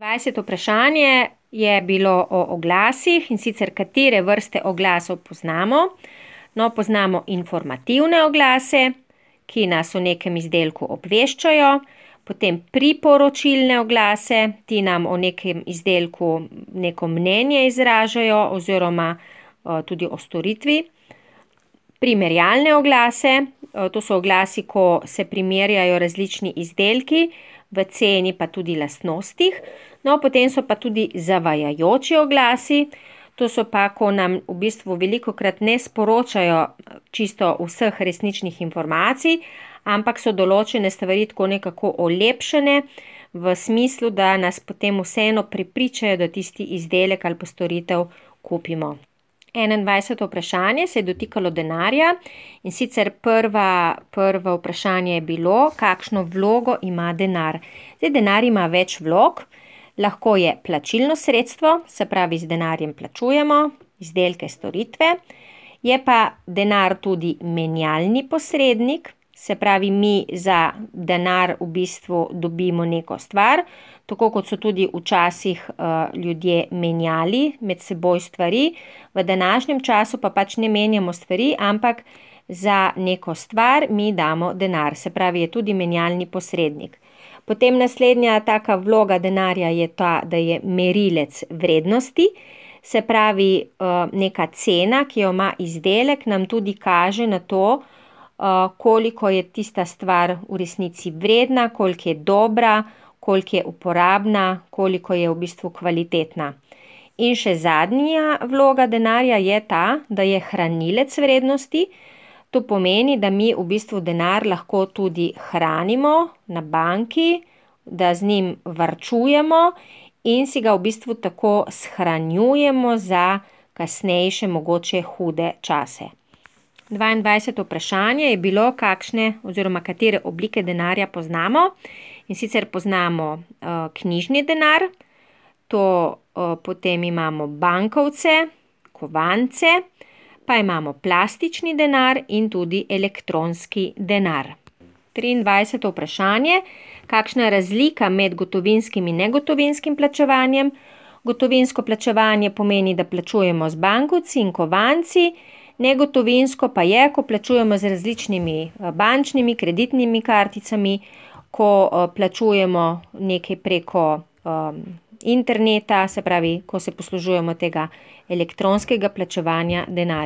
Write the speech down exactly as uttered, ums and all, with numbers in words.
dvajseto vprašanje je bilo o oglasih, in sicer katere vrste oglasov poznamo. No, poznamo informativne oglase, ki nas o nekem izdelku obveščajo, potem priporočilne oglase, ti nam o nekem izdelku neko mnenje izražajo oziroma tudi o storitvi. Primerjalne oglase, to so oglasi, ko se primerjajo različni izdelki v ceni pa tudi lastnostih. No, potem so pa tudi zavajajoči oglasi, to so pa, ko nam v bistvu velikokrat ne sporočajo čisto vseh resničnih informacij, ampak so določene stvari tako nekako olepšene v smislu, da nas potem vseeno prepričajo, da tisti izdelek ali pa storitev kupimo. enaindvajseto vprašanje se je dotikalo denarja, in sicer prva, prvo vprašanje je bilo, kakšno vlogo ima denar. Zdaj, denar ima več vlog, lahko je plačilno sredstvo, se pravi, z denarjem plačujemo izdelke, storitve, je pa denar tudi menjalni posrednik, se pravi, mi za denar v bistvu dobimo neko stvar, tako kot so tudi včasih uh, ljudje menjali med seboj stvari, v današnjem času pa pač ne menjamo stvari, ampak za neko stvar mi damo denar, se pravi, je tudi menjalni posrednik. Potem naslednja taka vloga denarja je ta, da je merilec vrednosti, se pravi, uh, neka cena, ki jo ima izdelek, nam tudi kaže na to, uh, koliko je tista stvar v resnici vredna, koliko je dobra, koliko je uporabna, koliko je v bistvu kvalitetna. In še zadnja vloga denarja je ta, da je hranilec vrednosti. To pomeni, da mi v bistvu denar lahko tudi hranimo na banki, da z njim varčujemo in si ga v bistvu tako shranjujemo za kasnejše mogoče hude čase. dvaindvajseto vprašanje je bilo, kakšne oziroma katere oblike denarja poznamo. In sicer poznamo uh, knjižni denar, to uh, potem imamo bankovce, kovance, pa imamo plastični denar in tudi elektronski denar. triindvajseto vprašanje, kakšna je razlika med gotovinskim in negotovinskim plačevanjem. Gotovinsko plačevanje pomeni, da plačujemo z bankovci in kovanci, negotovinsko pa je, ko plačujemo z različnimi bančnimi, kreditnimi karticami, ko uh, plačujemo nekaj preko um, interneta, se pravi, ko se poslužujemo tega elektronskega plačevanja denarja.